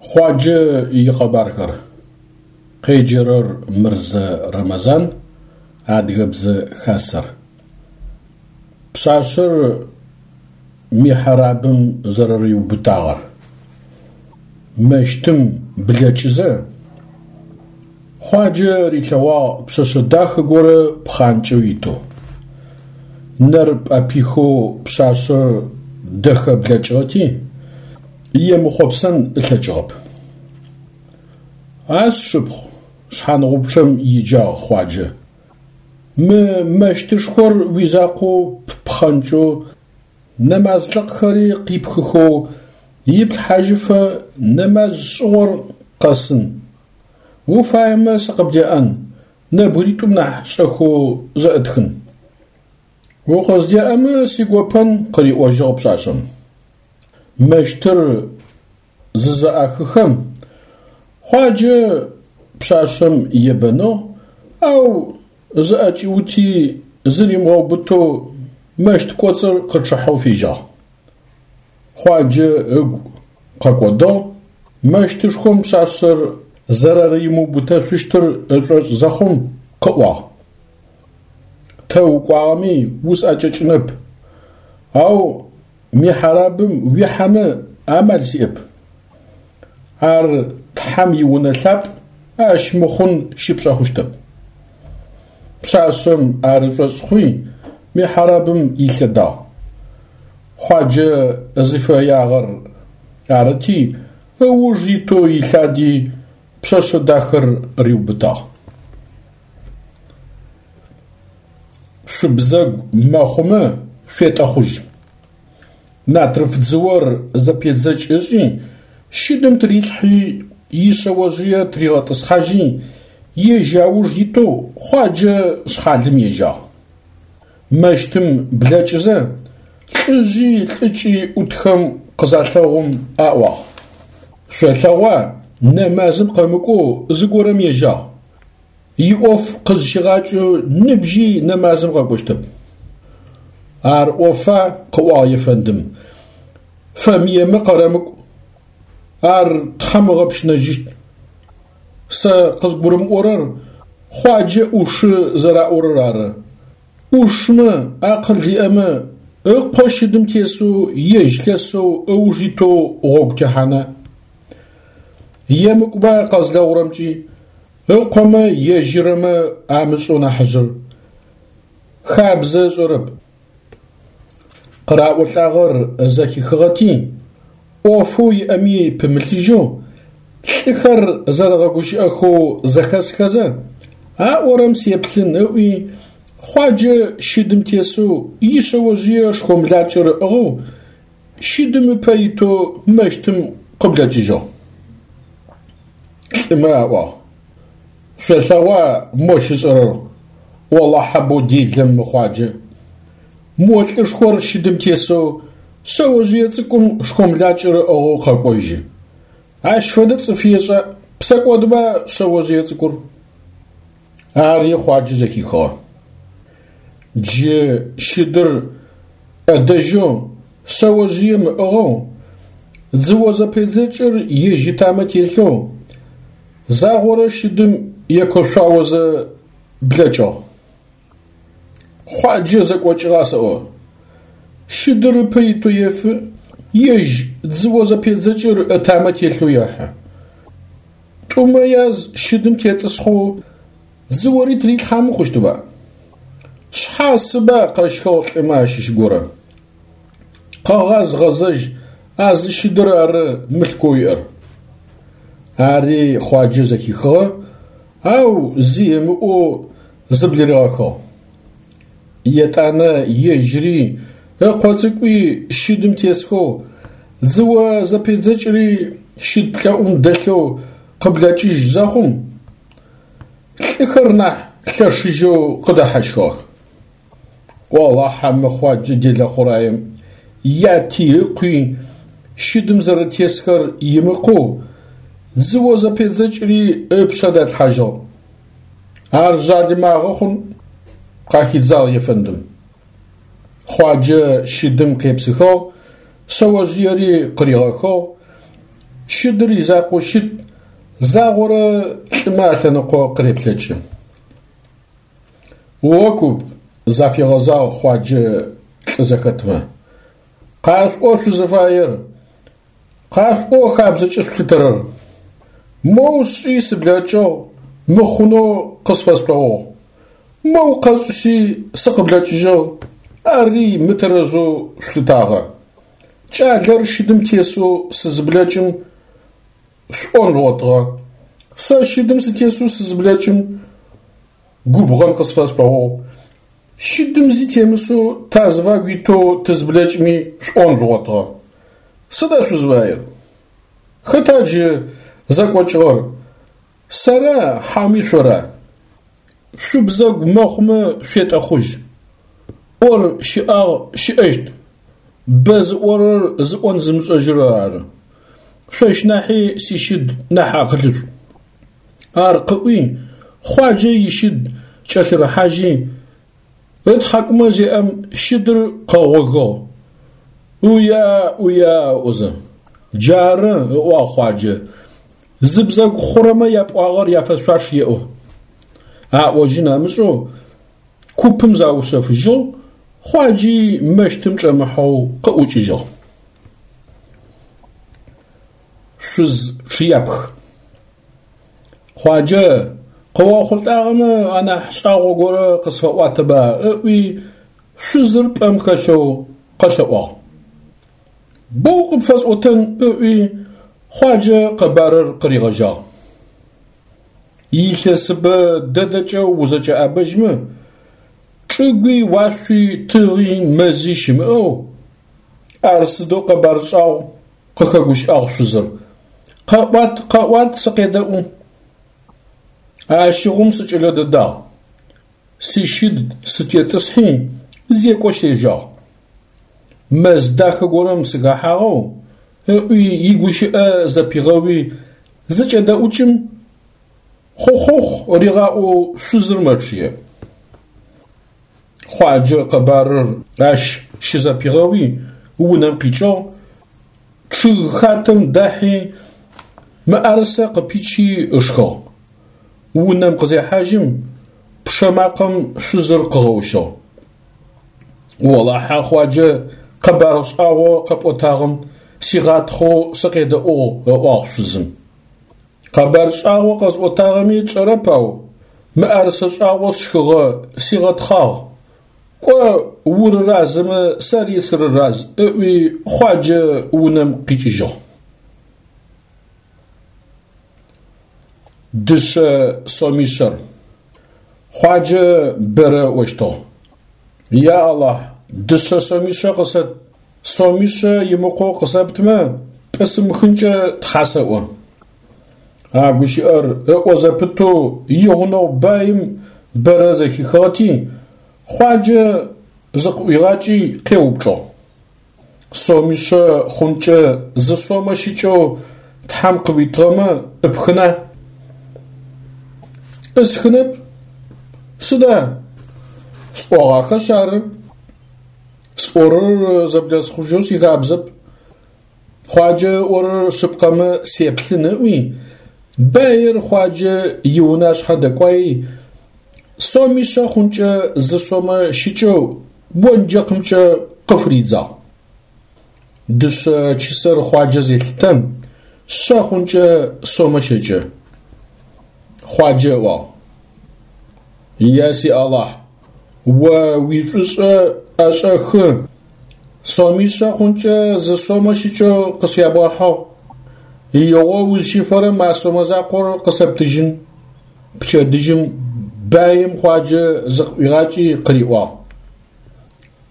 Хъуаджэ икъэбархэр. Къеджэрэр Мырзэ Рэмэзан, Адыгэбзэ Хасэр. Пшъашъэр михьрабым зэрэриубытагъэр. Мэщтым блэкӏызэ, Хъуаджэ рилъэгъуагъ пшъэшъэ дахэ горэ пхъанкӏэу итэу. Нэр пӏэпихэу пшъашъэр дэхэ блэкӏыгъэти, емыхъопсэн ылъэкӏыгъэп. А сшыпхъу, шъхьангъупчъэм иджагъ Хъуаджэ, мы мэщтышхор уизакъоу ппхъэнкӏэу нэмазлыкъхэри къипхыхэу иплъхьажьыфэ нэмаз шӏыгъор къэсын. Уфаемэ сыкъыбдеӏэн, нэбгыритӏум нахь шӏэхэу зэӏытхын. Укъыздеӏэмэ сигопэн, къыриӏожьыгъ пшъашъэм. Мэщтыр зызэӏахыхэм, Хъуаджэ пшъашъэм ебэныгъ, ау зыӏэкӏиути зыримыгъэубытэу мэщт кӏоцӏыр къычъыхьэу фежьагъ. Хъуаджэ ыгу къэкӏодыгъ, мэщтышхом пшъашъэр зэрэримыубытэшъущтыр ышӏошӏ зэхъум къыӏуагъ. Тэ укӏуагъэми усӏэкӏэкӏынэп, ау михьрабым уихьэмэ амал сиӏэп. Ар Тхьэм иунэ лъапӏ, ащ мыхъун щыпшӏэ хъущтэп. Пшъашъэм ар ышӏошӏ хъуи, михьрабым илъэдагъ. Хъуаджэ зыфэягъэр арыти, ыуж итэу илъади, пшъэшъэ дахэр риубытагъ. Шъубзэгу мэхъумэ шъуетӏэхъужь. Натрыф дзыор зэпедзэкӏ ышӏи, щыдым тырилъхьи, ишъэожъые тыригъэтӏысхьажьи, ежь ауж итэу Хъуаджэ шъхьалым ежьагъ. Мэщтым блэкӏызэ, лӏыжъи лӏыкӏи ӏутхэм къызалъэгъум аӏуагъ: Шъолъэгъуа, нэмазым къэмыкӏоу зыгорэм ежьагъ. Иӏоф къызщигъакӏэу ныбжьи нэмазым къэкӏощтэп. Ар ӏофа, къыӏуагъ ефэндым, фэмыемэ къэрэмыкӏу, ар Тхьэм ыгъэпщынэжьыщт. Сэ къызгурымыӏорэр Хъуаджэ ӏушы зэраӏорэр ары. ӏушмэ, акъыл иӏэмэ, ыкъо щыдым тесэу ежь лъэсэу ыуж итэу гъогу техьана? Емыкӏуба къэзлъэгъурэмкӏи, ыкъомэ ежьырэмэ амышӏэу нахьыжъыр. Хабзэ ышӏэрэп. Къыраӏолӏагъэр зэхихыгъэти, ӏофэу иӏэми пымылъыжьэу, лӏыхэр зэрэгъэгущыӏэхэу зэхэсхэзэ, аӏорэм сеплъын ыӏуи, Хъуаджэ щыдым тесэу ишъэожъые шхомлакӏэр ыӏыгъэу, щыдым ыпэ итэу мэщтым къыблэкӏыжьыгъ. Лӏымэ аӏуагъ: Шъолъэгъуа мощ ышӏэрэр, олахьэ боу делэм мы Хъуаджэ. Мо лӏышхор щыдым тесэу шъэожъые цӏыкӏум шхомлакӏэр ыӏыгъэу къэкӏожьы. Ащ фэдэ цӏыф ешӏа, псэкӏодба шъэожъые цӏыкӏур? Ари Хъуаджэ зэхихыгъэ. Джы щыдыр ӏэдэжьэу шъэожъыем ыӏыгъэу, дзыо зэпедзэкӏыр ежь ытамэ телъэу, загъорэ щыдым екошъуаозэ блэкӏыгъ. Хъуаджэ зэкӏокӏыгъа сэӏо? Щыдыр ыпэ итэу ефы, ежь дзыо зэпедзэкӏыр ытамэ телъэу ехьы. Тӏумэ яз щыдым тетӏысхьэу дзыори тырилъхьамэ хъущтыба? Шъхьасыба къэщхыгъ лӏымэ ащыщ горэ. Къэгъаз гъэзэжь а зы щыдыр ары мылъкоу иӏэр. Ари Хъуаджэ зэхихыгъэ, ау зи ымыӏоу зыблыригъэхыгъ. Етӏанэ ежьыри ыкъо цӏыкӏуи щыдым тесхэу, дзыо зэпедзэкӏри щыд плӏэӏум дэлъэу къыблэкӏыжь зэхъум, лӏыхэр нахь лъэшыжьэу къыдэхьащхыгъэх. Олахьэ мы Хъуаджэ делэ хъураем яти ыкъуи щыдым зэрэтесхэр имыкъоу, дзыо зэпедзэкӏри ыпшъэ далъхьажьыгъ. Ар жъалымагъэ хъун, къахидзагъ ефэндым. Хъуаджэ щыдым къепсыхыгъ, шъэожъыери къыригъэхыгъ. Щыдыр изакъоу щыт, загъорэ лӏымэ алъэныкъо къыреплъэкӏы. О куп, зафигъэзагъ Хъуаджэ лӏы зэхэтмэ, къашъуӏо шъузыфаер, къашъуӏо хабзэкӏэ шъулъытэрэр. Моу сшӏи сыблэкӏыгъ, мыхъунэу къысфэшъуӏуагъ. Моу къэсшӏи сыкъыблэкӏыжьыгъ, ари мытэрэзэу шъулъытагъэ. Кӏалэр щыдым тесэу сызыблэкӏым, шъуӏон жъугъотыгъэ. Сэ щыдым сытесэу сызыблэкӏым, губгъэн къысфэшъуӏуагъ. Щыдым зи темысэу тазыфагу итэу тызыблэкӏми шъуӏон жъугъотыгъэ. Сыда шъузыфаер? Хэта джы зэкӏокӏыгъэр, сэра хьауми шъора? Шъубзэгу мэхъумэ шъуетӏэхъужь. ӏор щыӏагъ, щыӏэщт. Бэ зыӏорэр зыӏон зымышӏэжьырэр ары. Шъощ нахьи сищыд нахь акъылышӏу. Ар къыӏуи, Хъуаджэ ищыд кӏэлъырыхьажьи, ытхьакӏумэ зеӏэм щыдыр къэгъогыгъ, ӏуя, ӏуя ыӏозэ. Джары, ыӏуагъ Хъуаджэ, зыбзэгу хъурэмэ япӏуагъэр яфэшъуаш еӏо. Аӏожьын амышӏэу купым заушъэфыжьыгъ, Хъуаджи мэщтым чӏэмыхьэу къыӏукӏыжьыгъ. Шъуз чъыяпх. Хъуаджэ, къыохъулӏагъэмэ анахь шӏагъо горэ къысфэӏуатэба ыӏуи, шъузыр пӏэм хэлъэу къэлъэӏуагъ. Боу къыпфэсӏотэн ыӏуи, Хъуаджэ къэбарыр къыригъэжьагъ. Илъэсыбэ дэдэкӏэ узэкӏэӏэбэжьмэ, чӏыгуи, уашъуи, тыгъи, мэзи щымыӏэу, ар сыдэу къэбар шӏагъу, къыхэгущыӏагъ шъузыр. Къэӏуат, къэӏуат, сыкъедэӏу. Ащыгъум сыкӏэлэ дэдагъ. Сищыд сытетӏысхьи, зекӏо сежьагъ. Мэз дахэ горэм сыхэхьагъэу, ыӏуи игущыӏэ зэпигъэуи, зыкӏэдэӏукӏым, хъухъухъу ригъаӏоу шъузыр мэчъые. Хъуаджэ къэбарыр ащ щызэпигъэуи, унэм къикӏыгъ, чъыг хатэм дахьи, мыӏэрысэ къыпичи ышхыгъ. Унэм къызехьажьым, пчъэ макъэм шъузыр къыгъэущыгъ. Олахьэ, Хъуаджэ, къэбар шӏагъо къэпӏотагъэм, сигъатхъэу сыкъедэӏугъ, ыӏуагъ шъузым. Къэбар шӏагъо къэсӏотагъэми тшӏэрэп, ау мыӏэрысэ шӏагъо сшхыгъэ, сигъэтхъагъ. Кӏо, урыразэмэ, сэри сырыраз, ыӏуи Хъуаджэ унэм къикӏыжьыгъ. Дышъэ сомишъэр. Хъуаджэ бэрэ ыӏощтыгъ. Я Алахь, дышъэ сомишъэ къысэт, сомишъэ имыкъоу къысэптмэ, пӏысымыхынкӏэ Тхьа сэӏо. А гущыӏэр ыӏо зэпытэу игъунэгъу баим бэрэ зэхихыгъэти, Хъуаджэ зыкъыӏуигъакӏи къеупчӏыгъ. Сомишъэ хъункӏэ зы сомэ щыкӏэу Тхьэм къыуитыгъэмэ ӏыпхына? ӏысхынэп. Сыда? Сӏогъахэшъ ары. Сӏорэр зэблэсхъужьэу сихабзэп. Хъуаджэ ыӏорэр шъыпкъэмэ сеплъын ыӏуи, баир Хъуаджэ иунашъхьэ дэкӏуаи, сомишъэ хъункӏэ зы сомэ щыкӏэу онджэкъымкӏэ къыфыридзагъ. Дышъэ чысэр Хъуаджэ зелъытэм, шъэ хъункӏэ сомэ щэкӏы. Хъуаджэ ыӏуагъ: Я си Алахь, о уишӏушӏэ ӏэшӏэхы, сомишъэ хъункӏэ зы сомэ щыкӏэу къысфябгъэхьыгъ. Игъо узщифэрэм а сомэ закъор къысэптыжьын. Пчэдыжьым баим Хъуаджэ зыкъыӏуигъакӏи къыриӏуагъ.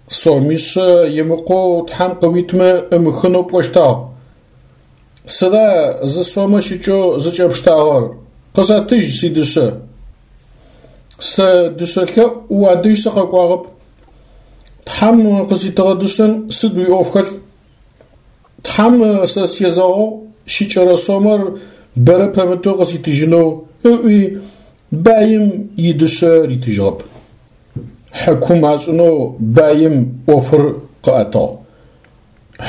Сомишъэ имыкъоу Тхьэм къыуитмэ ӏымыхынэу пӏощтагъ. Сыда зы сомэ щыкӏэу зыкӏэпштагъэр? Къысэтыжь сидышъэ. Сэ дышъэ лъэӏу уадэжь сыкъэкӏуагъэп. Тхьэм къыситыгъэ дышъэм сыд уиӏоф хэлъ? Тхьэм сэ сезэгъыгъ щыкӏэрэ сомэр бэрэ пэмытэу къыситыжьынэу ыӏуи, баим идышъэ ритыжьыгъэп. Хьыкум ашӏынэу баим ӏофыр къыӏэтыгъ.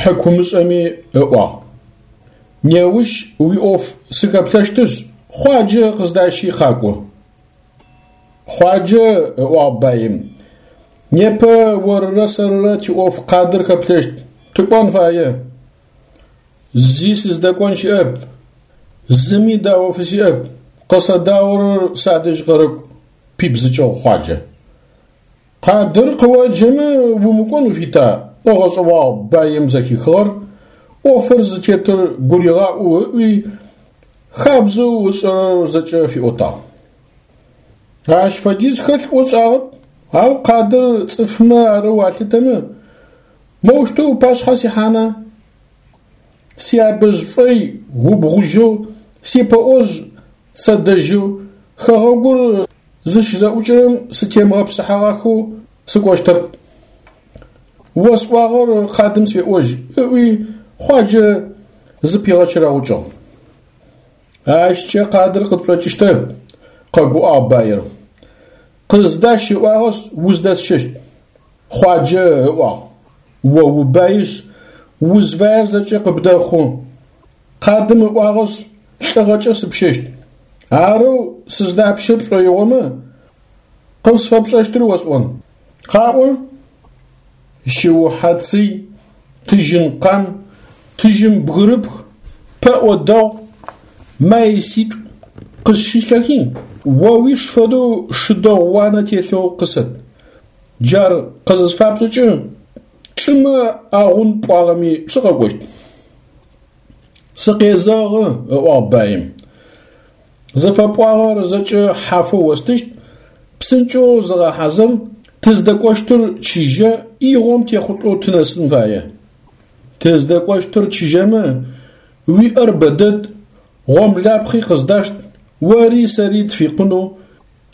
Хьыкумышӏэми ыӏуагъ. Неущ уиӏоф сыхэплъэщтышъ, Хъуаджэ къыздащи къакӏо. Хъуаджэ, ыӏуагъ баим, непэ орырэ сэрырэ тиӏоф къадыр хэплъэщт, тыкӏон фае. Зи сыздэкӏон щыӏэп, зыми дао фысиӏэп, къысэдаорэр садэжь къэрэкӏу, пибзыкӏыгъ Хъуаджэ. Къадыр къыоджэмэ умыкӏон уфита? ыгъэшӏэгъуагъ баим зэхихыгъэр, ӏофыр зытетыр гуригъаӏу ыӏуи, хабзэу ышӏэрэр зэкӏэ фиӏотагъ. Ащ фэдиз хэлъ ӏоу сшӏагъэп, ау къадыр цӏыфмэ арэу алъытэмэ, моущтэу ыпашъхьэ сихьана? Сиабэжъ шӏой убгъужьэу, сипэӏожъ цэдэжьэу, хэгъэгур зыщызэӏукӏэрэм сытемыгъэпсыхьагъахэу сыкӏощтэп. Осӏуагъэр къадым сфеӏожь, ыӏуи Хъуаджэ зыпигъэчэрэгъукӏыгъ. Ащкӏэ къадыр къытшӏокӏыщтэп, къэгуӏагъ баир. Къыздащ ыӏуагъэшъ, уздэсщэщт. Хъуаджэ ыӏуагъ. О убаишъ, узфаер зэкӏэ къыбдэхъу. Къадым ыӏуагъэшъ, лӏыгъэкӏэ сыпщэщт. Арэу сыздапщэ пшӏоигъомэ, къысфэпшӏэщтыр осӏон. Къаӏо, шыухьэ цый, тыжьын къам, тыжьын бгырыпх, пэӏо дэгъу, маиситӏу къысщылъэхи, о уиш фэдэу шы дэгъу уанэ телъэу къысэт. Джар къызысфапшӏэкӏэ, чӏымэ агъун пӏуагъэми сыкъэкӏощт. Сыкъезэгъы, ыӏуагъ баим. Зыфэпӏуагъэр зэкӏэ хьафэу остыщт, псынкӏэу зыгъэхьазыр, тыздэкӏощтыр чыжьэ, игъом техъулӏэу тынэсын фае. Тыздэкӏощтыр чыжьэмэ, уиӏэр бэдэд, гъомлапхъи къыздашт, ори сэри тфикъунэу,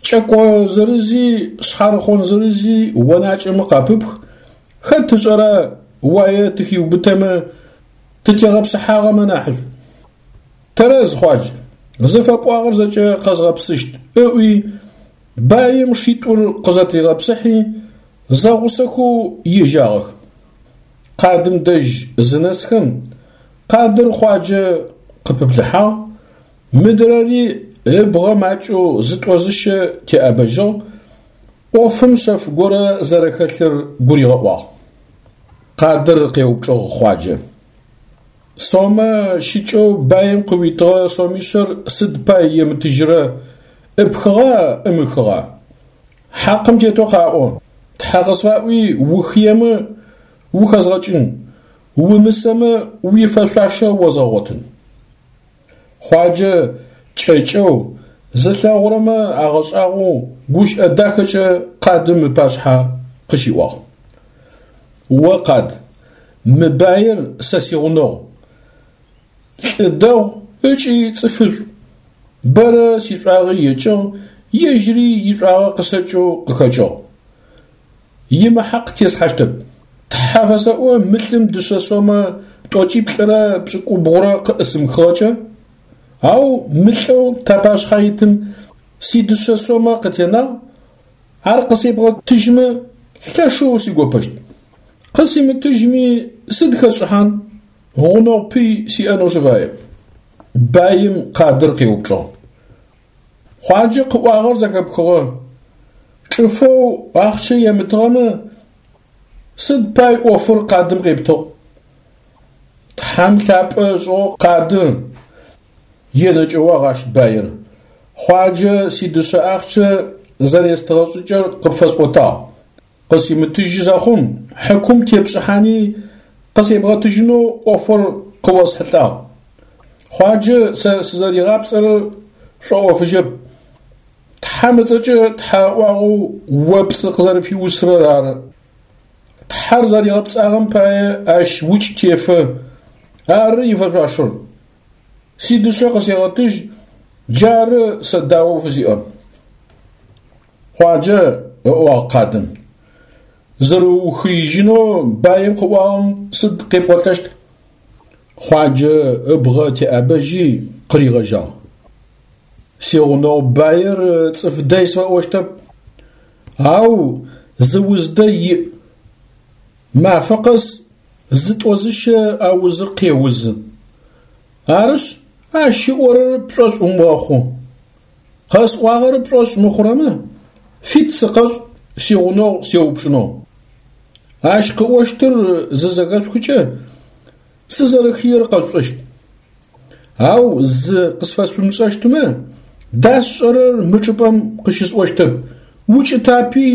кӏэко зырызи шъхьарыхъон зырызи онакӏэмэ къапыпх, хэт ышӏэра уае тыхиубытэмэ, тытегъэпсыхьагъэмэ нахьышӏу. Тэрэз, Хъуадж, зыфэпӏуагъэр зэкӏэ къэзгъэпсыщт, ыӏуи, баим шитӏур къызэтригъэпсыхьи, зэгъусэхэу ежьагъэх. Къадым дэжь зынэсхэм, къадыр Хъуаджэ къыпыплъыхьагъ, мыдрэри ыбгъэ макӏэу зытӏо-зыщэ теӏэбэжьыгъ, ӏофым шъэф горэ зэрэхэлъыр гуригъэӏуагъ. Къадыр къеупчӏыгъ Хъуаджэ. Сомэ щыкӏэу баим къыуитыгъэ сомишъэр сыд пай емытыжьрэ, ӏыпхыгъа, ӏымыхыгъа? Хьакъым тетэу къаӏо, Тхьэ къысфаӏуи ухыемэ ухэзгъэкӏын, умысэмэ уифэшъуашэ озгъэгъотын. Хъуаджэ кӏэкӏэу, зылъэгъурэмэ агъэшӏагъоу гущыӏэ дахэкӏэ къадым ыпашъхьэ къыщиӏуагъ. О, къад, мы баир сэ сигъунэгъу, лӏы дэгъу ыкӏи цӏыфышӏу. Бэрэ сишӏуагъи екӏыгъ, ежьыри ишӏуагъэ къысэкӏэу къыхэкӏыгъ. Имыхьакъ теслъхьащтэп. Тхьэ фэсэӏо мы лӏым дышъэ сомэ тӏокӏиплӏырэ пшӏыкӏубгъурэ къыӏысымыхыгъэкӏэ, ау мы лӏэу тапашъхьэ итым сидышъэ сомэ къытенагъ, ар къысебгъэтыжьмэ, лъэшэу сигопэщт. Къысимытыжьми, сыд хэсшӏыхьан, гъунэгъу пый сиӏэнэу сыфаеп. Баим къадыр къеупчӏыгъ. Хъуаджэ къыӏуагъэр зэхэпхыгъэ. Чӏыфэу ахъщэ емытыгъэмэ, сыд пай ӏофыр къадым къептыгъ? Тхьэм лъапӏэ ышӏыгъэу къады, енэкӏэуагъ ащ баир. Хъуаджэ сидышъэ ахъщэ зэрестыгъэ шӏыкӏэр къыпфэсӏотагъ. Къысимытыжьы зэхъум, хьыкум тепшӏыхьани къысебгъэтыжьынэу ӏофыр къыосхьылӏагъ. Хъуаджэ сэ сызэригъапцӏэрэр шӏоӏофыжьэп. Тхьэм ыцӏэкӏэ тхьэ ыӏуагъэу о пцӏы къызэрыпфиусырэр ары. Тхьэр зэригъэпцӏагъэм пае ащ укӏ тефэ, ары ифэшъуашэр. Сидышъэ къысегъэтыжь, джары сэ даоу фысиӏэр. Хъуаджэ, ыӏуагъ къадым, зэрэухыижьынэу баим къыӏуагъэм сыд къепӏолӏэщт? Хъуаджэ ыбгъэ теӏэбэжьи къыригъэжьагъ. Сигъунэгъу баир цӏыф дэй сфэӏощтэп, ау зы уз дэй иӏ. Мафэ къэс зытӏо-зыщэ а узыр къеузы. Арышъ, ащ ыӏорэр пшӏошъ умыгъэхъу. Къэсӏуагъэр пшӏошъ мыхъурэмэ, фит сыкъэшӏ сигъунэгъу сеупчӏынэу. Ащ къыӏощтыр зызэхэшъухыкӏэ, сызэрэхыер къэшъушӏэщт. Ау зы къысфэшъумышӏэщтмэ, дасшӏэрэр мы чӏыпӏэм къыщысӏощтэп, укӏытапи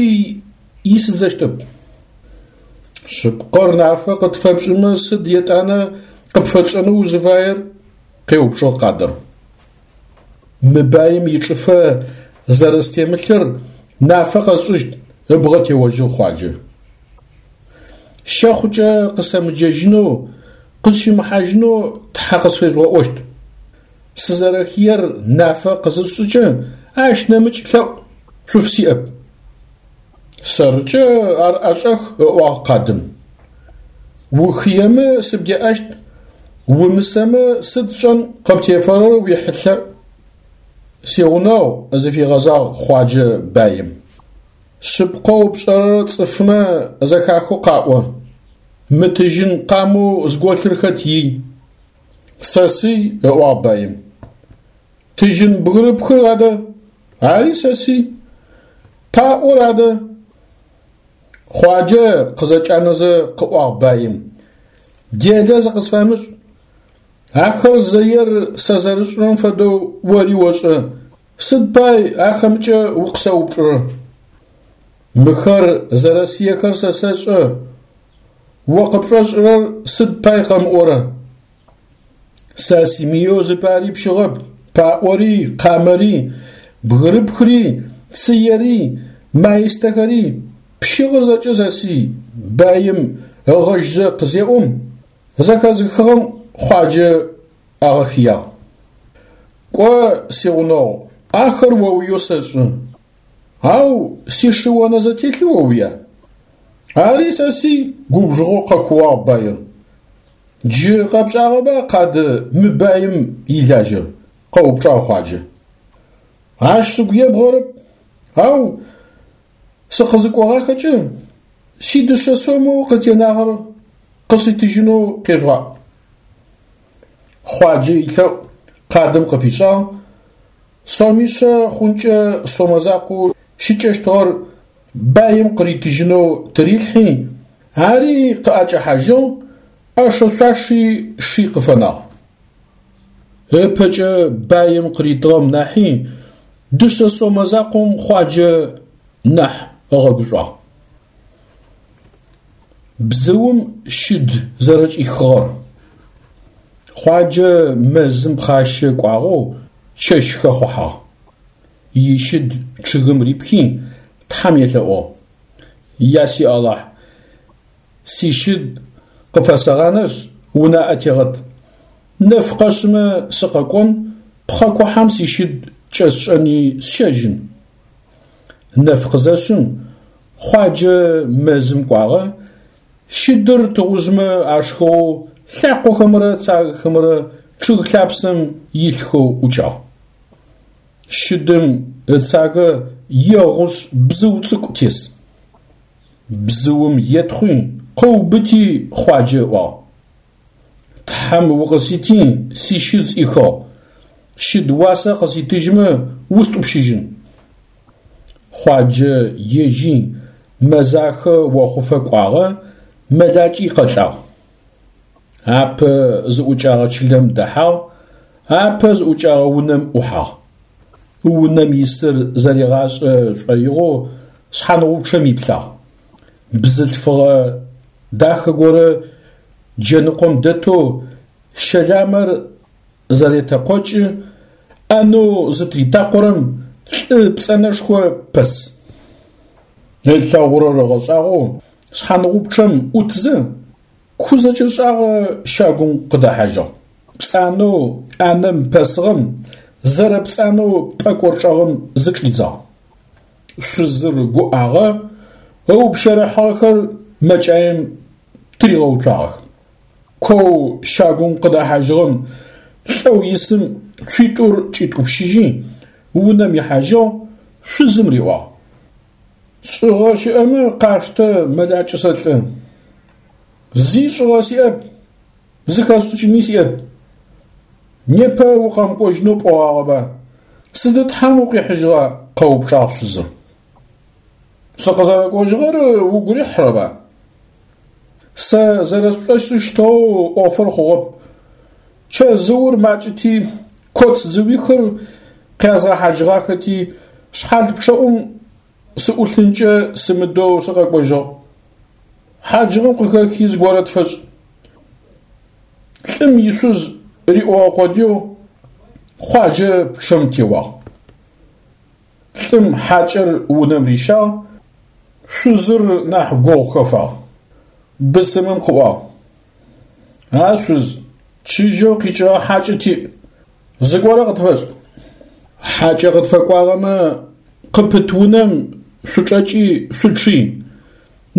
исыдзэщтэп. Шъыпкъэр нафэ къытфэпшӏымэ сыд етӏанэ къыпфэтшӏэнэу узыфаер? къеупчӏыгъ къадыр. Мы баим ичӏыфэ зэрэстемылъыр нафэ къэсшӏыщт, ыбгъэ теожьыгъ Хъуаджэ. Щэхъукӏэ къысэмыджэжьынэу, къысщымыхьажьынэу тхьэ къысфежъугъэӏощт. Сызэрэхыер нафэ къызысшӏыкӏэ, ащ нэмыкӏ лъэӏу шъуфысиӏэп. Сэркӏэ ар ӏэшӏэх, ыӏуагъ къадым. Ухыемэ сыбдеӏэщт, умысэмэ сыд сшӏэн къыптефэрэр уихьылъэ. Сигъунэгъу, зыфигъэзагъ Хъуаджэ баим. Шъыпкъэу пшӏэрэр цӏыфмэ зэхахэу къаӏо. Мы тыжьын къамэу зголъыр хэт ий? Сэсый, ыӏуагъ баим. Тыжьын бгырыпхыр адэ? Ари сэсый. Паӏор адэ? Хъуаджэ къызэкӏанэзэ къыӏуагъ баим. Делэ зыкъысфэмышӏ. Ахэр зэер сэ зэрысшӏырэм фэдэу ори ошӏэ. Сыд пай ахэмкӏэ укъысэупчӏырэр? Мыхэр зэрэсыехэр сэ сэшӏэ. О къыпшӏошӏырэр сыд пай къэмыӏорэ? Сэ симыеу зыпари пщыгъэп, паӏори, къамэри, бгырыпхри, цыери, маистэхэри, пщыгъыр зэкӏэ сэсый, баим ыгъэжьзэ къызеӏом, зэхэзыхыгъэм Хъуаджэ агъэхыягъ. Кӏо, сигъунэгъу, ахэр оуеу сэшӏы, ау сишы-онэ зэтелъи оуя? Ари сэсый, губжыгъэу къэкууагъ баир. Джы къэпшӏагъэба къады мы баим илажьэр? къэупчӏагъ Хъуаджэ. Ащ сыгу ебгъэрэп, ау сыкъызыкӏогъахэкӏэ сидышъэ сомэу къытенагъэр къыситыжьынэу къежъугъаӏу. Хъуаджэ илъэӏу къадым къыфишӏагъ, сомишъэ хъункӏэ сомэ закъоу щыкӏэщтыгъэр баим къыритыжьынэу тырилъхьи, ари къыӏэкӏэхьажьыгъ, ӏэшэ-шъуаши ши къыфэнагъ. Ыпэкӏэ баим къыритыгъэм нахьи дышъэ сомэ закъом Хъуаджэ нахь ыгъэгушӏуагъ. Бзыум щыд зэрэкӏихыгъэр. Хъуаджэ мэзым пхъащэ кӏуагъэу чэщ хэхъухьагъ. Ищыд чъыгым рипхи, Тхьэм елъэӏугъ: Я си Алахь, сищыд къыфэсэгъанэшъ, унаӏэ тегъэт. Нэф къэшъымэ сыкъэкӏон, пхъэ кухьэм сищыд кӏэсшӏэни сщэжьын. Нэф къызэшъым, Хъуаджэ мэзым кӏуагъэ, щыдыр тыгъужъмэ ашхыгъэу лъакъохэмрэ цагэхэмрэ чъыг лъапсэм илъхэу ӏукӏагъ. Щыдым ыцагэ егъушъ бзыу цӏыкӏу тес. Бзыум етхъуи, къыубыти Хъуаджэ ыӏуагъ. Тхьэм укъысити, сищыд сӏихыгъ. Щыд уасэ къыситыжьмэ, устӏупщыжьын. Хъуаджэ ежьи мэзахэ охъуфэ кӏуагъэ, мэлакӏи къэлӏагъ. Апэ зыӏукӏагъэ чылэм дэхьагъ, апэ зыӏукӏагъэ унэм ӏухьагъ. Унэм исыр зэригъашӏэ шӏоигъоу шъхьангъупчъэм иплъагъ. Бзылъфыгъэ дахэ горэ джэныкъом дэтэу щэламэр зэретэкъокӏы, ӏанэу зытритакъорэм лӏы пцӏэнэшхо пэс. Ылъэгъурэр ыгъэшӏагъоу шъхьангъупчъэм ӏутзэ, ку зэкӏэшӏагъэ щагум къыдэхьажьыгъ. Пцӏанэу ӏанэм пэсыгъэм зэрэпцӏанэу пӏэкӏор чӏэгъым зычӏидзагъ. Шъузыр гуӏагъэ, ыупщэрыхьыгъэхэр мэкӏаем тыригъэуцуагъэх. Коу щагум къыдэхьажьыгъэм лӏэу исым цуитӏур кӏитӏупщыжьи, унэм ихьажьыгъ, шъузым риӏуагъ. Шӏыгъэ щыӏэмэ къаштэ, мэлакӏэ сэлӏэ. Зи шӏыгъэ сиӏэп, зыхэсшӏыкӏыни сиӏэп. Непэ укъэмыкӏожьынэу пӏогъагъэба? Сыды Тхьэм укъихьыжьыгъа? къэупчӏагъ шъузыр. Сыкъызэрэкӏожьыгъэр угу рихьырэба? Сэ зэрэсшӏошӏыщтыгъэу ӏофыр хъугъэп. Чэзыур макӏэти, коц дзыуихыр къязгъэхьажьыгъахэти, шъхьал пчъэӏум сыӏулъынкӏэ сымыдэу сыкъэкӏожьыгъ. Хьаджыгъэм къыхэхи зыгорэ тфэшӏ. Лӏым ишъуз риӏогъэ къодыеу Хъуаджэ пчъэм теуагъ. Лӏым хьакӏэр унэм рищагъ, шъузыр нахь гугъу хэфагъ. Бысымым къыӏуагъ: А шъуз, чыжьэу къикӏыгъэ хьакӏэ тиӏ, зыгорэ къытфэшӏ. Хьакӏэ къытфэкӏуагъэмэ, къыпыт унэм шъучӏэкӏи шъучъый,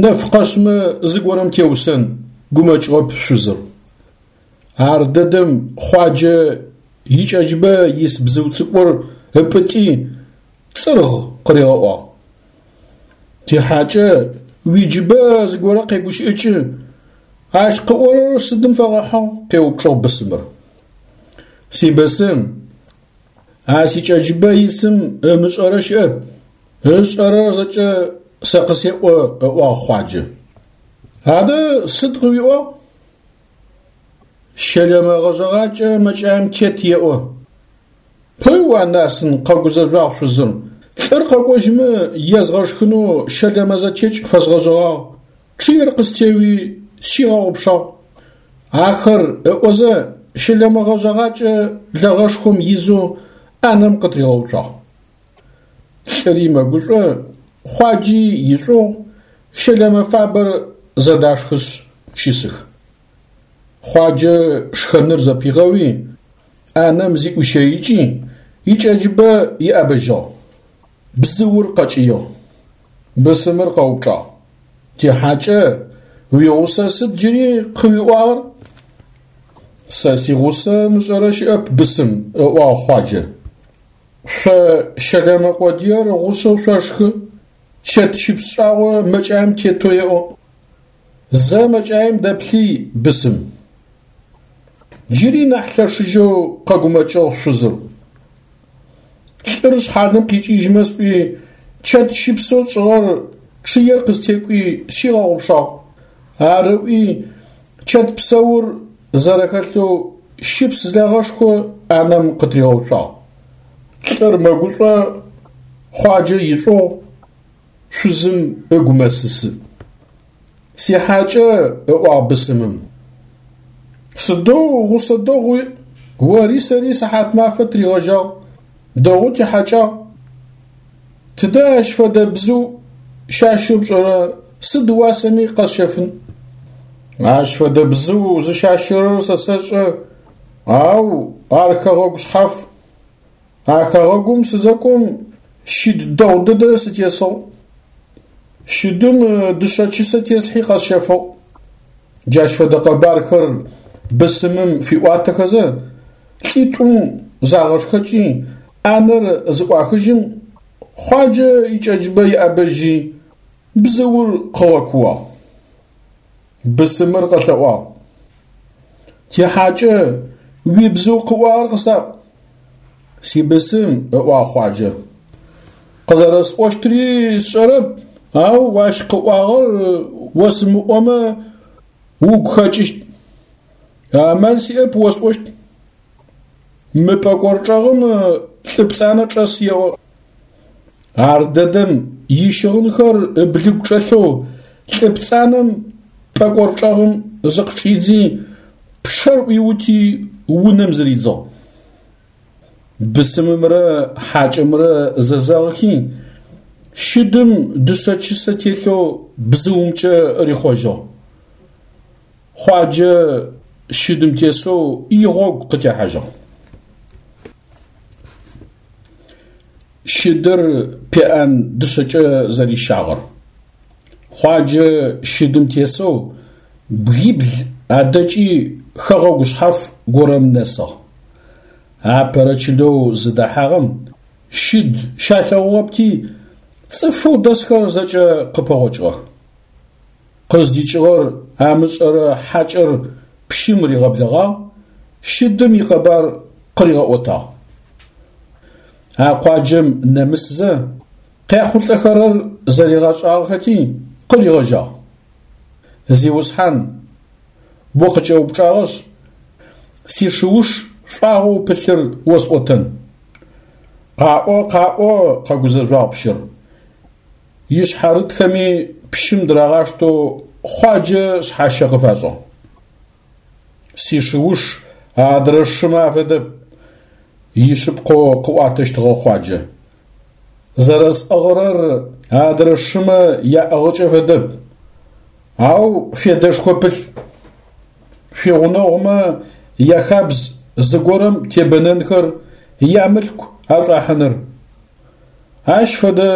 нэф къэшъмэ зыгорэм теусэн, гумэкӏыгъэп шъузыр. Ар дэдэм Хъуаджэ икӏэджыбэ ис бзыу цӏыкӏур ыпӏытӏи, цӏыргъ къыригъэӏуагъ. Тихьакӏэ уиджыбэ зыгорэ къегущыӏыкӏы, ащ къыӏорэр сыдым фэгъэхьыгъ? къеупчӏыгъ бысымыр. Сибысым, а сикӏэджыбэ исым ымышӏэрэ щыӏэп, ышӏэрэр зэкӏэ сэ къысеӏо, ыӏуагъ Хъуаджэ. Адэ сыд къыуиӏуагъ? Щэлэмэ гъэжъэгъакӏэ мэкӏаем тет еӏо. Пыу, анасын, къэгузэжъуагъ шъузыр. Лӏыр къэкӏожьымэ езгъэшхынэу щэлэмэ зэтекӏ фэзгъэжъэгъагъ, чъыер къыстеуи, сщигъэгъупшагъ. Ахэр ыӏозэ, щэлэмэ гъэжъэгъакӏэ лэгъэшхом изэу ӏанэм къытыригъэуцуагъ. Лӏыри мэгушӏо, Хъуаджи ишӏугъу, щэлэмэ фабэр зэдашхышъ щысых. Хъуаджэ шхэныр зэпигъэуи, ӏанэм зиӏуищэикӏи, икӏэджыбэ иӏэбэжьыгъ. Бзыур къэкӏыигъ. Бысымыр къэупчӏагъ: Тихьакӏэ, уигъусэ сыд джыри къыуиӏуагъэр? Сэ сигъусэ ымышӏэрэ щыӏэп, бысым, ыӏуагъ Хъуаджэ. Шъо щэлэмэ къодыер гъушъэу шъошхы, чэт щыпс шӏагъо мэкӏаем тетэу еӏо. Зэ мэкӏаем дэплъый, бысым. Джыри нахь лъэшыжьэу къэгумэкӏыгъ шъузыр. Лӏыр шъхьалым къикӏыжьмэ сӏуи, чэт щыпсэу тшӏыгъэр чъыер къыстекӏуи сщигъэгъупшагъ. Ар ыӏуи, чэт псэур зэрэхэлъэу щыпс лэгъэшхо ӏанэм къытыригъэуцуагъ. Лӏыр мэгушӏо, Хъуаджэ ишӏугъу, шъузым ыгу мэсысы. Сихьакӏэ, ыӏуагъ бысымым. Сыдэу гъусэ дэгъу уиӏ, ори сэри сыхьатмафэ тыригъэжьагъ, дэгъоу тихьакӏагъ. Тыдэ ащ фэдэ бзыу щащэу пшӏэрэ, сыд уасэми къэсщэфын. Ащ фэдэ бзыу зыщащэрэр сэ сэшӏэ, ау ар хэгъэгу шъхьаф. А хэгъэгум сызэкӏом щыд дэгъу дэдэ сытесыгъ. Щыдым дышъэ чысэ тесхьи къэсщэфыгъ. Джащ фэдэ къэбархэр бысымым фиӏуатэхэзэ, лӏитӏум загъэшхэкӏи, ӏанэр зыӏуахыжьым, Хъуаджэ икӏэджыбэ иӏэбэжьи, бзыур къыгъэкууагъ. Бысымыр къэлъэӏуагъ: Тихьакӏэ, уибзыу къыӏуагъэр къысаӏу. Сибысым, ыӏуагъ Хъуаджэ. Къызэрэсӏощтри сшӏэрэп, ау ащ къыӏуагъэр осымыӏомэ угу хэкӏыщт. Амал сиӏэп осӏощт. Мы пӏэкӏор чӏэгъым лӏы пцӏанэ чӏэс еӏо. Ардэдэм ищыгъынхэр ыблыгу чӏэлъэу лӏы пцӏанэм пӏэкӏор чӏэгъым зыкъычӏидзи, пчъэр ӏуиути унэм зыридзыгъ. Бысымымрэ хьакӏэмрэ зэзэгъыхи, щыдым дышъэ чысэ телъэу бзыумкӏэ рихъожьыгъ. Хъуаджэ щыдым тесэу игъогу къытехьажьыгъ. Щыдыр пеӏэн дышъэкӏэ зэрищагъэр. Хъуаджэ щыдым тесэу бгибл адэкӏи хэгъэгу шъхьаф горэм нэсыгъ. Апэрэ чылэу зыдэхьагъэм щыд щалъэгъугъэпти, цӏыфэу дэсхэр зэкӏэ къыпэгъокӏыгъэх. Къыздикӏыгъэр амышӏэрэ хьакӏэр пщым ригъэблэгъагъ, щыдым икъэбар къыригъэӏотагъ. А къуаджэм нэмысзэ, къяхъулӏэхэрэр зэригъэшӏагъэхэти, къыригъэжьагъ. Зиусхьан, укъыкӏэупчӏагъэшъ, сишыуш шӏуагъэу пылъыр осӏотэн. Къаӏо, къаӏо, къэгузэжъуагъ пщыр. Ишъхьарытхэми пщым дырагъаштэу Хъуаджэ шъхьащэ къыфашӏыгъ. Сишыуш адрэ шымэ афэдэп, ишъыпкъэу къыӏуатэщтыгъэ Хъуаджэ. Зэрэсӏыгъырэр адрэ шымэ яӏыгъыкӏэ фэдэп, ау федэшхо пылъ. Шъуигъунэгъумэ яхабз зыгорэм тебэнэнхэр, ямылъку ашӏуахьыныр. Ащ фэдэ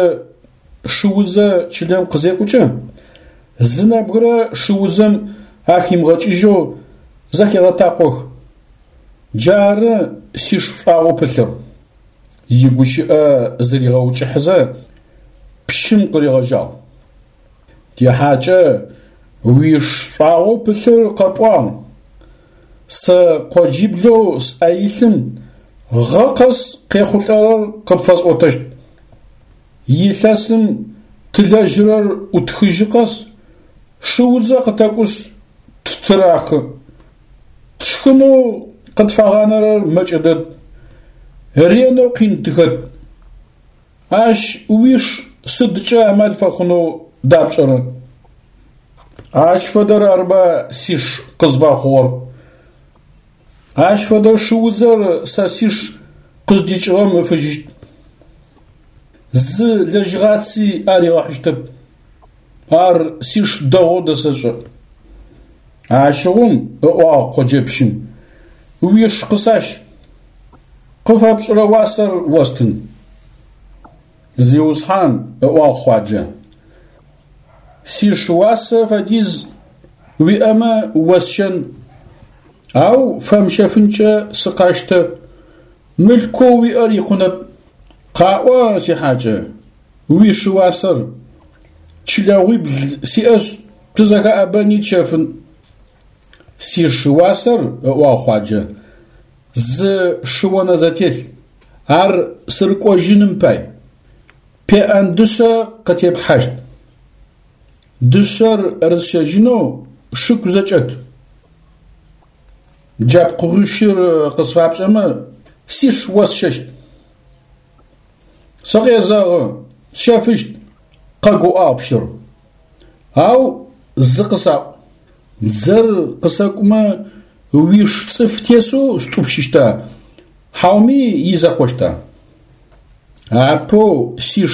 шыудзэ чылэм къызекӏукӏэ, зы нэбгырэ шыудзэм ахимыгъэкӏыжьэу зэхегъэтакъох. Джары сиш шӏуагъэу пылъыр. Игущыӏэ зыригъэукӏыхьызэ, пщым къыригъэжьагъ. Тихьакӏэ, уиш шӏуагъэу пылъыр къэпӏуагъ. Сэ къоджиблэу сӏэ илъым гъэ къэс къехъулӏэрэр къыпфэсӏотэщт. Илъэсым тылэжьырэр ӏутхыжьы къэс шыудзэ къытэкӏушъ ттырахы. Тшхынэу къытфагъанэрэр мэкӏэ дэд, ренэу къин тыхэт. Ащ уиш сыдкӏэ амал фэхъунэу дапшӏэрэ? Ащ фэдэр арба сиш къызфэхъугъэр. Ащ фэдэ шыудзэр сэ сиш къыздикӏыгъэм ыфыжьыщт. Зы лэжьыгъаци аригъэхьыщтэп. Ар сиш дэгъоу дэсэшӏэ. Ащыгъум, ыӏуагъ къоджэпщым, уиш къысащ. Къыфэпшӏырэ уасэр остын. Зиусхьан, ыӏуагъ Хъуаджэ, сиш уасэ фэдиз уиӏэмэ осщэн, ау фэмыщэфынкӏэ сыкъэщтэ, мылъкоу уиӏэр икъунэп. Къаӏо, сихьакӏэ, уиш уасэр, чылэгъуибл сиӏэшъ, тызэхэӏэбэни тщэфын. Сиш уасэр, ыӏуагъ Хъуаджэ, зы шыонэзэтелъ, ар сырыкӏожьыным пай. Пеӏэн дышъэ къытеплъхьащт. Дышъэр рысщэжьынэу шыку зэкӏэт. Джа пкъыгъуищыр къысфапшӏэмэ, сиш осщэщт. Сыкъезэгъы, сщэфыщт, къэгуӏагъ пщыр. Ау зы къысаӏу, дзэр къысэкӏумэ уиш цӏыф тесэу стӏупщыщта, хьауми изэкъощта? Апэу сиш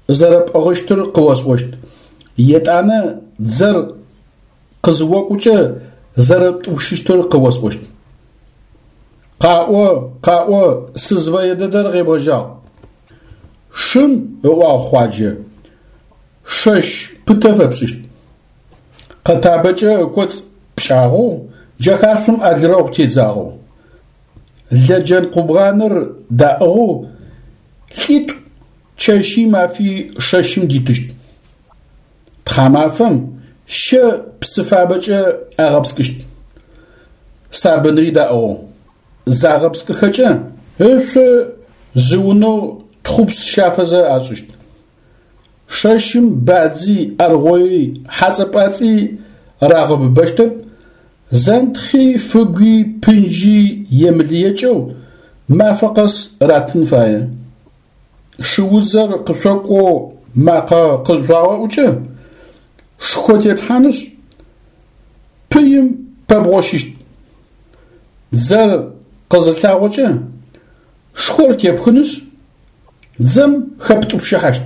зэрэпӏыгъыщтыр къыосӏощт, етӏанэ дзэр къызыокӏукӏэ зэрэптӏупщыщтыр къыосӏощт. Къаӏо, къаӏо, сызфэе дэдэр къебгъэжьагъ. Шым, ыӏуагъ Хъуаджэ, шэщ пытэ фэпшӏыщт. Къэтабэкӏэ ыкӏоцӏ пкӏагъэу, джэхашъом алрэгъу тедзагъэу. Лэджэн къубгъаныр даӏыгъэу лӏитӏу чэщи мафи шэщым дитыщт. Тхьамафэм щэ псы фабэкӏэ агъэпскӏыщт. Сабынри даӏыгъэу. Загъэпскӏыхэкӏэ ышъо жъыунэу тхъупс щафэзэ ашӏыщт. Шэщым бадзи, аргъои, хьацӏэ-пӏацӏи рагъэбыбэщтэп, зэнтхъи, фыгуи, пынджи емылыекӏэу мафэ къэс ратын фае. Шыудзэр къышъокӏоу макъэ къызшъуагъэӏукӏэ, шхо теплъхьанышъ, пыим пэбгъощыщт. Дзэр къызылъагъокӏэ, шхор тепхынышъ, дзэм хэптӏупщыхьащт.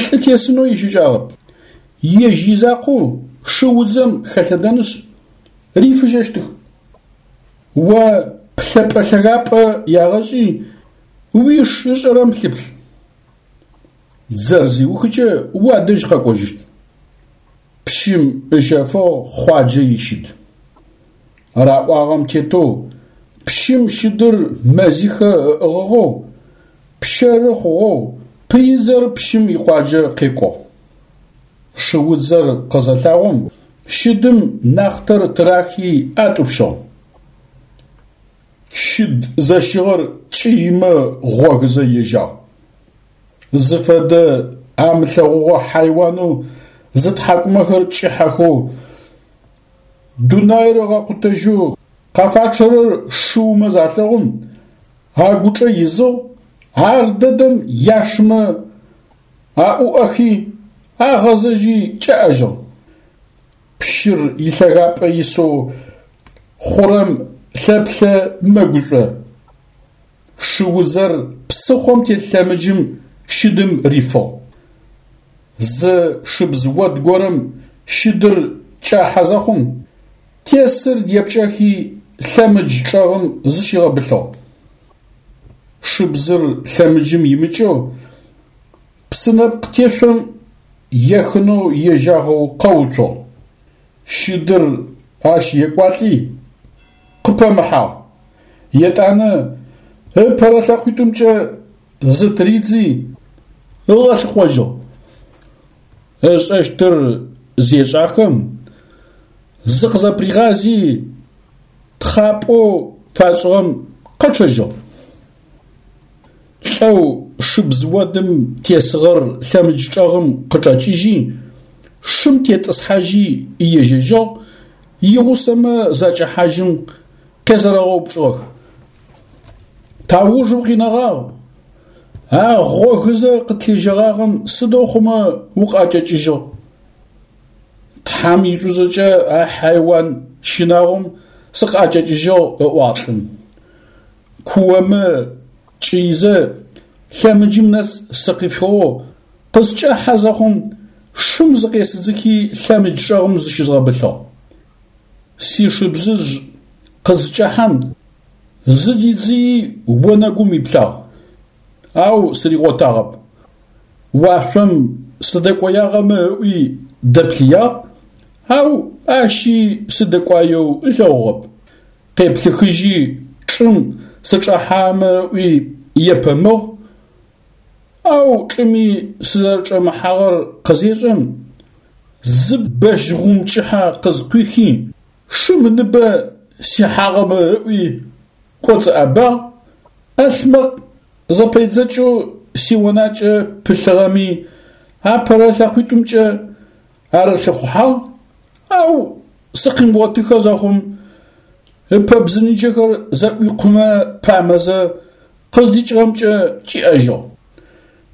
Лӏы тесынэу ищыкӏагъэп. Ежь изакъоу шыудзэм хэлъэдэнышъ, рифыжьэщтых. О плъэпӏэ-лъэгапӏэ ягъэшӏи, уиш ышӏэрэм лъыплъ. Дзэр зиухыкӏэ уадэжь къэкӏожьыщт. Пщым ыщэфыгъ Хъуаджэ ищыд. Раӏуагъэм тетэу пщым щыдыр мэзихэ ыӏыгъыгъэу, пщэры хъугъэу пыидзэр пщым икъуаджэ къекӏугъ. Шыудзэр къызэлъагъом, щыдым нахътэр тырахи атӏупщыгъ. Щыд зэщыгъэр кӏыимэ гъогызэ ежьагъ. Зыфэдэ амылъэгъугъэ хьайуанэу зытхьакӏумэхэр кӏыхьэхэу, дунаир ыгъэкъутэжьэу къафачъэрэр шыумэ залъэгъум, агучӏэ изыгъ, ар дэдэм яшымэ аӏуӏэхи, агъэзэжьи кӏэӏэжьыгъ. Пщыр илъэгапӏэ исэу хъурэм лъэплъэ мэгушӏо. Шыудзэр псыхъом телъ лъэмыджым щыдым рифыгъ. Зы шыбз од горэм щыдыр кӏахьэ зэхъум, тесыр епкӏэхи лъэмыдж чӏэгъым зыщигъэбылъыгъ. Шыбзыр лъэмыджым имыкӏэу псынэпкъ тешъом ехынэу ежьагъэу къэуцугъ. Щыдыр ащ екӏуалӏи, къыпэмыхьагъ. Етӏанэ ыпэрэ лъэкъуитӏумкӏэ зытыридзи, ыгъэлъыхъожьыгъ. Ышӏэщтыр зешӏахэм, зыкъызэпригъази, тхъапӏэу фашӏыгъэм къэчъэжьыгъ. Лӏэу шыбз одым тесыгъэр лъэмыдж чӏэгъым къычӏэкӏыжьи, шым тетӏысхьажьи ежьэжьыгъ, игъусэмэ закӏэхьажьым къезэрэгъэупчӏыгъэх. Тауж укъинэгъагъ, а гъогызэ къытлъежьэгъагъэм сыдэу хъумэ укъыӏэкӏэкӏыжьыгъ? Тхьэм ишӏушӏэкӏэ а хьайуан щынагъом сыкъыӏэкӏэкӏыжьыгъ, ыӏуагъ лӏым. Куомэ кӏыизэ лъэмыджым нэс сыкъифыгъэу къыскӏэхьэ зэхъум, шым зыкъесыдзыхи лъэмыдж чӏэгъым зыщызгъэбылъыгъ. Сишыбзыжъ къызкӏэхьэм, зыдидзыи онэгум иплъагъ, ау сыригъотагъэп. Уашъом сыдэкӏоягъэмэ ыӏуи дэплъыягъ, ау ащи сыдэкӏуаеу ылъэгъугъэп. Къеплъыхыжьи чӏым сычӏэхьамэ ыӏуи епэмыгъ, ау чӏыми сызэрэчӏэмыхьагъэр къызешӏэм, зы бэщ гъум кӏыхьэ къызкъуихи, шым ыныбэ сихьагъэмэ ыӏуи кӏоцӏыӏэбагъ, ӏалъмэкъ зэпэедзэкӏэу сионакӏэ пылъыгъэми апэрэ лъэкъуитӏумкӏэ арылъыхъухьагъ, ау сыкъимыгъотыхэ зэхъум, ыпэбзыныджэхэр зэӏуикъумэ памэзэ къыздикӏыгъэмкӏэ кӏиӏэжьыгъ.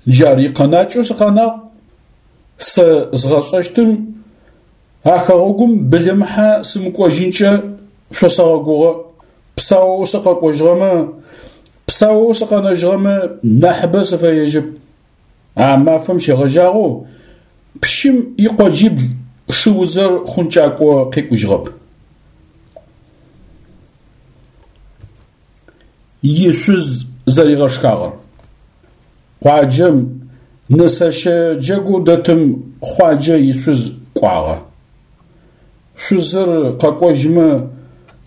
Джар икъэнакӏэу сыкъэнагъ. Сэ згъэшӏэщтым а хэгъэгум былымыхьэ сымыкӏожьынкӏэ шъосэгъэгугъэ. Псаоу сыкъэкӏожьыгъэмэ, псаоу сыкъэнэжьыгъэмэ нахьыбэ сыфэежьып. А мафэм щегъэжьагъэу пщым икъоджибл шыудзэр хъункӏакӏо къекӏужьыгъэп. Ишъуз зэригъэшхагъэр. Къуаджэм нысэщэ джэгоу дэтым Хъуаджэ ишъуз кӏуагъэ. Шъузыр къэкӏожьмэ,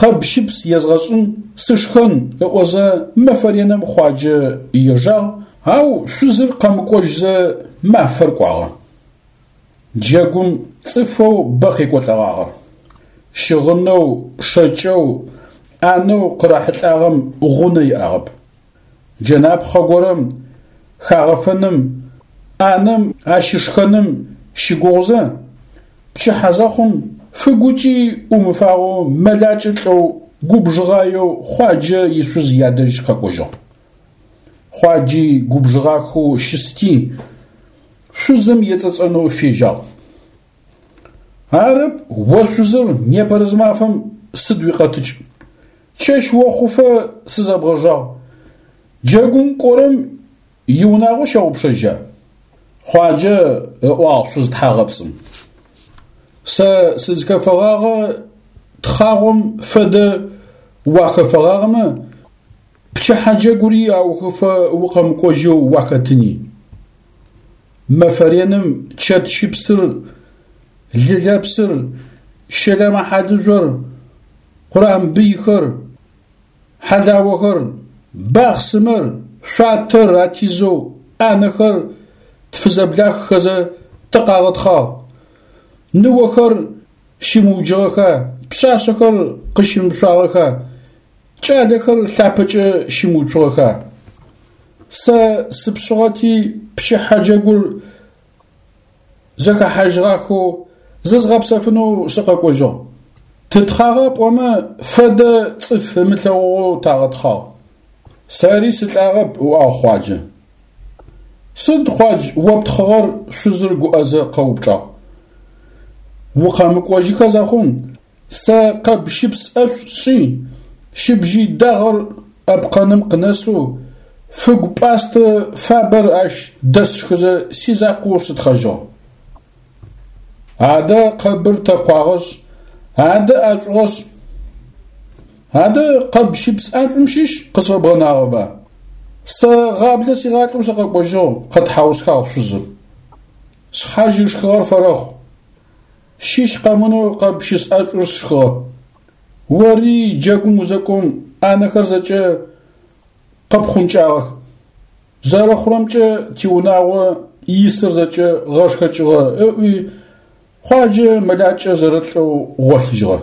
къэб щыпс езгъэшӏын, сышхэн ыӏозэ мэфэ реным Хъуаджэ ежагъ, ау шъузыр къэмыкӏожьзэ мафэр кӏуагъэ. Джэгум цӏыфэу бэ къекӏолӏэгъагъэр. Щыгъынэу, шэкӏэу, ӏанэу къырахьылӏагъэм гъунэ иӏагъэп. Джэнапхъэ горэм хагъэфэным, ӏанэм ащышхэным щыгугъузэ, пчыхьэ зэхъум фыгукӏи ӏумыфагъэу мэлакӏэ лӏэу губжыгъаеу Хъуаджэ ишъуз ядэжь къэкӏожьыгъ. Хъуаджи губжыгъахэу щысти, шъузым ецӏэцӏэнэу фежьагъ. Арэп, о шъузыр непэрэзымафэм сыд уикъэтыкӏ? Чэщ охъуфэ сызэбгъэжагъ. Джэгум кӏорэм иунагъо щэгъупшэжьа? Хъуаджэ ыӏуагъ шъуз тхьагъэпцӏым. Сэ сызхэфэгъагъэ тхъагъом фэдэ уахэфэгъагъэмэ, пчыхьэ джэгури аухыфэ укъэмыкӏожьэу уахэтыни. Мэфэ реным чэт щыпсыр, лы лэпсыр, щэлэмэ-хьалыжъор, къурамбыйхэр, хьалаохэр, бахъсымэр, шъуатэр атизэу ӏанэхэр тфызэблаххэзэ тыкъагъэтхъагъ. Ныохэр щымыуджыгъэха, пшъашъэхэр къыщымышъуагъэха? Кӏалэхэр лъапэкӏэ щымыуцугъэха? Сэ сыпшъыгъэти, пчыхьэ джэгур зэхэхьажьыгъахэу зызгъэпсэфынэу сыкъэкӏожьыгъ. Тытхъагъэ пӏомэ, фэдэ цӏыф ымылъэгъугъэу тагъэтхъагъ. Сэри сылӏагъэп, ыӏуагъ Хъуаджэ. Сыд, Хъуадж, о птхъыгъэр? шъузыр гуӏэзэ къэупчӏагъ. Укъэмыкӏожьыхэ зэхъум, сэ къэб щыпс ӏэшӏу сшӏи, щыбжьый дагъэр ӏэпкъэным къынэсэу, фыгу пӏастэ фабэр ащ дэсшхызэ сизакъоу сытхъэжьыгъ. Адэ къэбыр тэкъуагъэшъ, адэ ӏэшӏугъэшъ, адэ къэб щыпс ӏэшӏум щыщ къысфэбгъэнагъэба? Сэ гъаблэ сигъалӏэу сыкъэкӏожьыгъ, къэтхьаусхагъ шъузыр. Шъхьадж ышхыгъэр фэрэхъу. Щыщ къэмынэу къэб щыпс ӏэшӏур сшхыгъэ. Ори джэгум узэкӏом ӏанэхэр зэкӏэ къэпхъункӏагъэх. Зэрэхъурэмкӏэ тиунагъо исыр зэкӏэ гъэшхэкӏыгъэ, ыӏуи, Хъуаджэ мэлакӏэ зэрэлӏэу гъолъыжьыгъэ.